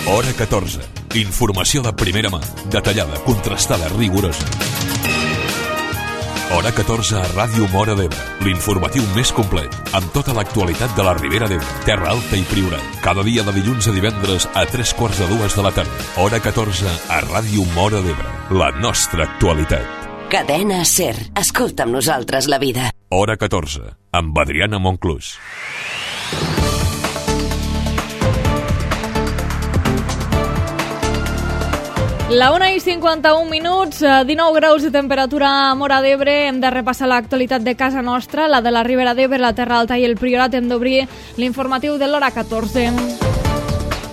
Hora 14. Informació de primera mà, detallada, contrastada, rigorosa. Hora 14 a Ràdio Móra d'Ebre, l'informatiu més complet, amb tota l'actualitat de la Ribera d'Ebre, Terra Alta i Priorat. Cada dia de dilluns a divendres a 3:45 de la tarda. Hora 14 a Ràdio Móra d'Ebre, la nostra actualitat. Cadena SER. Escolta amb nosaltres la vida. Hora 14, amb Adriana Monclús. La 1:51, 19 graus de temperatura a Móra d'Ebre. Hem de repassar l'actualitat de casa nostra, la de la Ribera d'Ebre, la Terra Alta i el Priorat. Hem d'obrir l'informatiu de l'hora 14.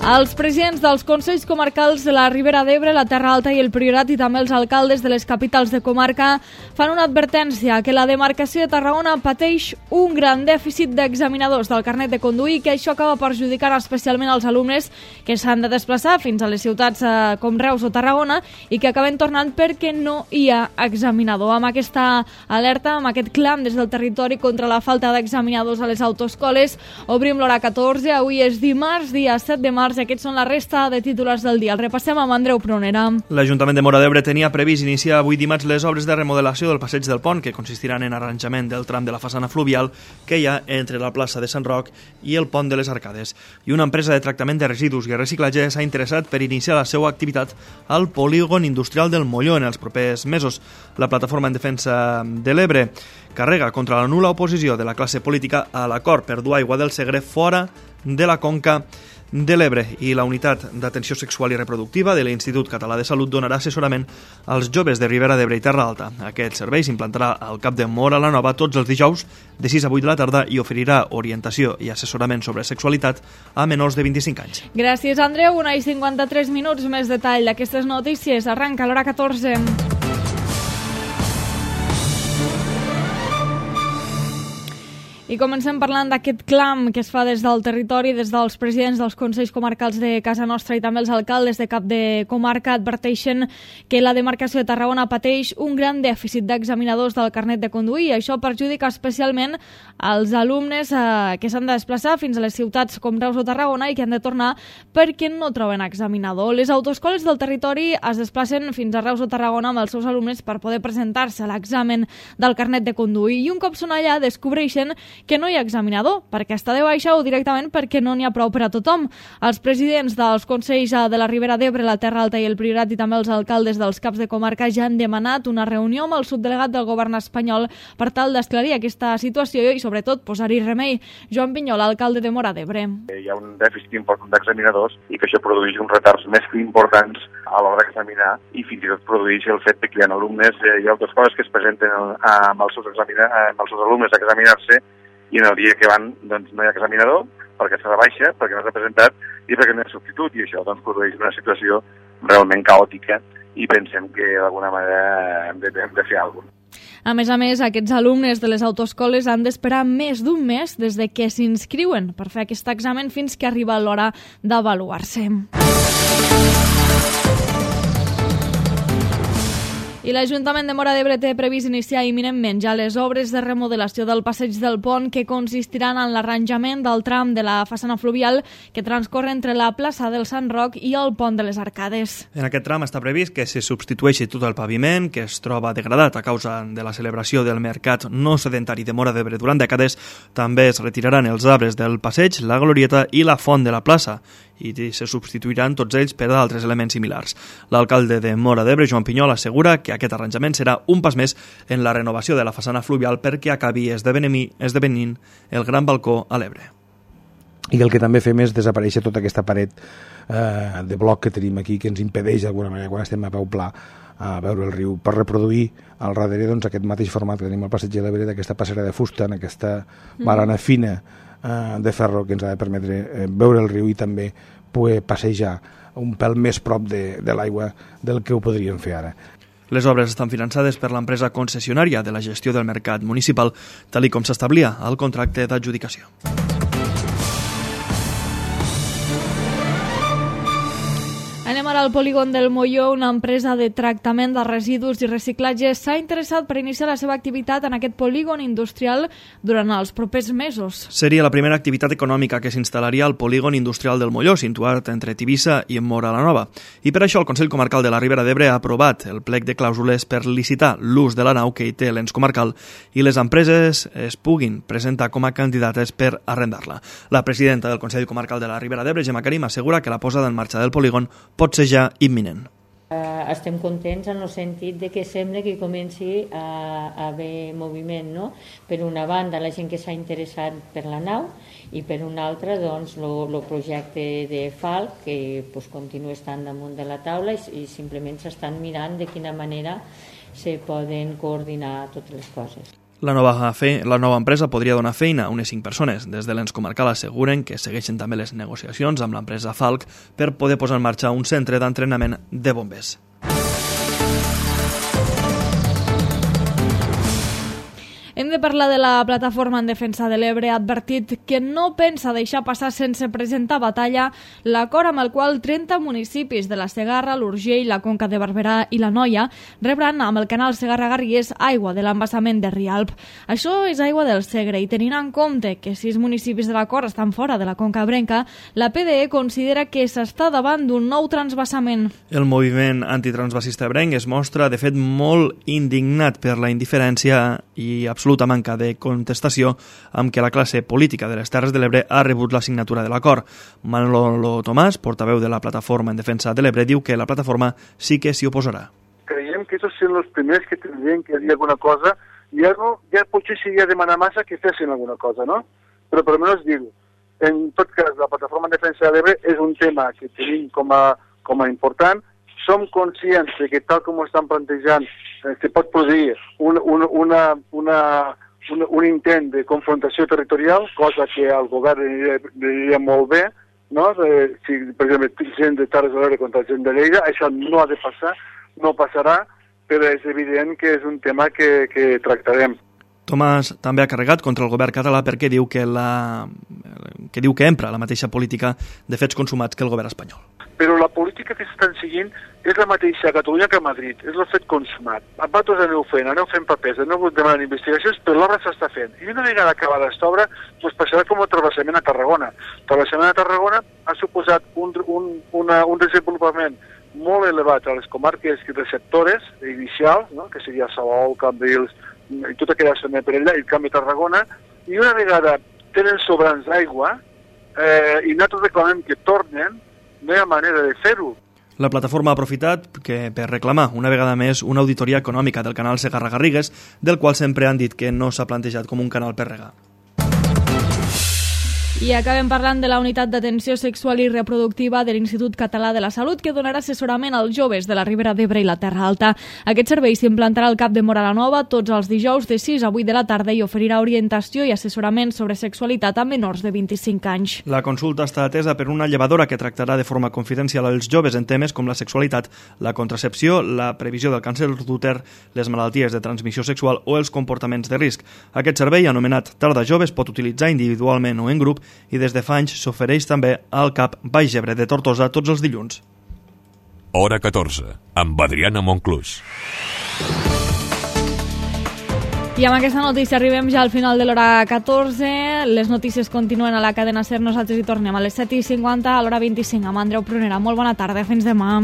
Els presidents dels Consells Comarcals de la Ribera d'Ebre, la Terra Alta i el Priorat i també els alcaldes de les capitals de comarca fan una advertència que la demarcació de Tarragona pateix un gran dèficit d'examinadors del carnet de conduir, que això acaba perjudicant especialment els alumnes que s'han de desplaçar fins a les ciutats com Reus o Tarragona i que acaben tornant perquè no hi ha examinador. Amb aquesta alerta, amb aquest clam des del territori contra la falta d'examinadors a les autoescoles, obrim l'hora 14. Avui és dimarts, dia 7 de març. Aquests són la resta de titulars del dia. El repassem amb Andreu Pronera. L'Ajuntament de Móra d'Ebre tenia previst iniciar avui dimarts les obres de remodelació del passeig del Pont, que consistiran en arranjament del tram de la façana fluvial que hi ha entre la plaça de Sant Roc i el Pont de les Arcades. I una empresa de tractament de residus i reciclatge s'ha interessat per iniciar la seva activitat al polígon industrial del Molló en els propers mesos. La Plataforma en Defensa de l'Ebre carrega contra la nul·la oposició de la classe política a l'acord per dur aigua del Segre fora de la conca de l'Ebre, i la Unitat d'Atenció Sexual i Reproductiva de l'Institut Català de Salut donarà assessorament als joves de Ribera d'Ebre i Terra Alta. Aquest servei s'implantarà al Cap de Móra la Nova tots els dijous de 6 a 8 de la tarda i oferirà orientació i assessorament sobre sexualitat a menors de 25 anys. Gràcies, Andreu. 1:53, més detall d'aquestes notícies. Arranca l'hora 14. I comencem parlant d'aquest clam que es fa des del territori, des dels presidents dels Consells Comarcals de casa nostra i també els alcaldes de cap de comarca adverteixen que la demarcació de Tarragona pateix un gran dèficit d'examinadors del carnet de conduir. Això perjudica especialment als alumnes que s'han de desplaçar fins a les ciutats com Reus o Tarragona i que han de tornar perquè no troben examinador. Les autoescoles del territori es desplacen fins a Reus o Tarragona amb els seus alumnes per poder presentar-se a l'examen del carnet de conduir i un cop són allà descobreixen que no hi ha examinador, perquè està de baixa o directament perquè no n'hi ha prou per a tothom. Els presidents dels Consells de la Ribera d'Ebre, la Terra Alta i el Priorat i també els alcaldes dels caps de comarca ja han demanat una reunió amb el subdelegat del govern espanyol per tal d'esclarir aquesta situació i sobretot posar-hi remei. Joan Pinyol, alcalde de Móra d'Ebre. Hi ha un dèficit important d'examinadors i que això produeix uns retards més que importants a l'hora d'examinar i fins i tot produeix el fet que hi ha alumnes, hi ha altres coses que es presenten amb els seus alumnes a examinar-se i en el dia que van doncs, no hi ha examinador perquè s'ha de baixa, perquè no s'ha presentat i perquè no hi ha substitut, i això doncs, produeix una situació realment caòtica i pensem que d'alguna manera hem de fer alguna cosa. A més, aquests alumnes de les autoescoles han d'esperar més d'un mes des de que s'inscriuen per fer aquest examen fins que arriba l'hora d'avaluar-se. I l'Ajuntament de Móra d'Ebre té previst iniciar imminentment ja les obres de remodelació del passeig del Pont que consistiran en l'arranjament del tram de la façana fluvial que transcorre entre la plaça del Sant Roc i el Pont de les Arcades. En aquest tram està previst que se substitueixi tot el paviment que es troba degradat a causa de la celebració del mercat no sedentari de Móra d'Ebre durant dècades. També es retiraran els arbres del passeig, la glorieta i la font de la plaça i se substituiran tots ells per altres elements similars. L'alcalde de Móra d'Ebre, Joan Pinyol, assegura que aquest arranjament serà un pas més en la renovació de la façana fluvial perquè acabi esdevenint el gran balcó a l'Ebre. I el que també fem és desaparèixer tota aquesta paret de bloc que tenim aquí que ens impedeix d'alguna manera quan estem a peu pla a veure el riu, per reproduir al darrere doncs, aquest mateix format que tenim al passeig de l'Ebre, d'aquesta passera de fusta, en aquesta barana fina de ferro que ens ha de permetre veure el riu i també poder passejar un pèl més prop de l'aigua del que ho podríem fer ara. Les obres estan finançades per l'empresa concessionària de la gestió del mercat municipal, tal com s'establia al contracte d'adjudicació. Anem a continuar al polígon del Molló, una empresa de tractament de residus i reciclatge s'ha interessat per iniciar la seva activitat en aquest polígon industrial durant els propers mesos. Seria la primera activitat econòmica que s'instal·laria al polígon industrial del Molló, situat entre Tivissa i Móra la Nova. I per això el Consell Comarcal de la Ribera d'Ebre ha aprovat el plec de clàusules per licitar l'ús de la nau que hi té l'ens comarcal i les empreses es puguin presentar com a candidates per arrendar-la. La presidenta del Consell Comarcal de la Ribera d'Ebre, Gemma Karim, assegura que la posada en marxa del polígon pot ser ja imminent. Estem contents en el sentit de que sembla que comenci a haver moviment, no? Per una banda, la gent que s'ha interessat per la nau i per una altra, doncs, el projecte de FALC, que continua estant damunt de la taula i simplement s'estan mirant de quina manera se poden coordinar totes les coses. La nova empresa podria donar feina a unes 5 persones. Des de l'ens comarcal asseguren que segueixen també les negociacions amb l'empresa FALC per poder posar en marxa un centre d'entrenament de bombers. Hem de parlar de la plataforma en defensa de l'Ebre. Ha advertit que no pensa deixar passar sense presentar batalla l'acord amb el qual 30 municipis de la Segarra, l'Urgell, la Conca de Barberà i la Noia rebran amb el canal Segarra-Garrigues aigua de l'embassament de Rialp. Això és aigua del Segre i tenint en compte que 6 municipis de l'acord estan fora de la Conca Ebrenca, la PDE considera que s'està davant d'un nou transvasament. El moviment antitransvasista ebrenc es mostra, de fet, molt indignat per la indiferència i absoluta manca de contestació amb què la classe política de les Terres de l'Ebre ha rebut la signatura de l'acord. Manolo Tomàs, portaveu de la Plataforma en Defensa de l'Ebre, diu que la plataforma sí que s'hi oposarà. Creiem que ells són els primers que tindrien que dir alguna cosa i ja potser seria demanar massa que fessin alguna cosa, no? Però per almenys dir-ho. En tot cas, la Plataforma en Defensa de l'Ebre és un tema que tenim com a important. Som conscients que tal com ho estan plantejant se pot produir un intent de confrontació territorial, cosa que al govern aniria molt bé, no? Si, per exemple, gent de Terres de l'Ebre contra gent de Lleida, això no ha de passar, no passarà, però és evident que és un tema que tractarem. Tomàs també ha carregat contra el govern català perquè diu que empra la mateixa política de fets consumats que el govern espanyol. Però la política que s'estan seguint és la mateixa a Catalunya que a Madrid, és el fet consumat. Vosaltres aneu fent papers, aneu demanant investigacions, però l'obra s'està fent. I una vegada acabada aquesta obra, doncs passarà com el travessament a Tarragona. El travessament a Tarragona ha suposat un desenvolupament molt elevat a les comarques receptores inicials, no? Que seria Salou, Cambrils, i tota aquella zona per allà, i el Camp de Tarragona, i una vegada tenen sobrants d'aigua, i nosaltres reclamem que tornen, no hi ha manera de fer-ho. La plataforma ha aprofitat per reclamar una vegada més una auditoria econòmica del canal Segarra-Garrigues, del qual sempre han dit que no s'ha plantejat com un canal per regar. I acabem parlant de la unitat d'atenció sexual i reproductiva de l'Institut Català de la Salut, que donarà assessorament als joves de la Ribera d'Ebre i la Terra Alta. Aquest servei s'implantarà al CAP de Móra la Nova tots els dijous de 6 a 8 de la tarda i oferirà orientació i assessorament sobre sexualitat a menors de 25 anys. La consulta està atesa per una llevadora que tractarà de forma confidencial als joves en temes com la sexualitat, la contracepció, la previsió del càncer d'úter, les malalties de transmissió sexual o els comportaments de risc. Aquest servei, anomenat Tarda Jove, es pot utilitzar individualment o en grup i des de fa anys s'ofereix també al CAP Baix Ebre de Tortosa tots els dilluns. Hora 14, amb Adriana Monclús. I amb aquesta notícia arribem ja al final de l'hora 14. Les notícies continuen a la cadena SER. Nosaltres hi tornem a les 7:50, a l'hora 25, amb Andreu Prunera. Molt bona tarda, fins demà.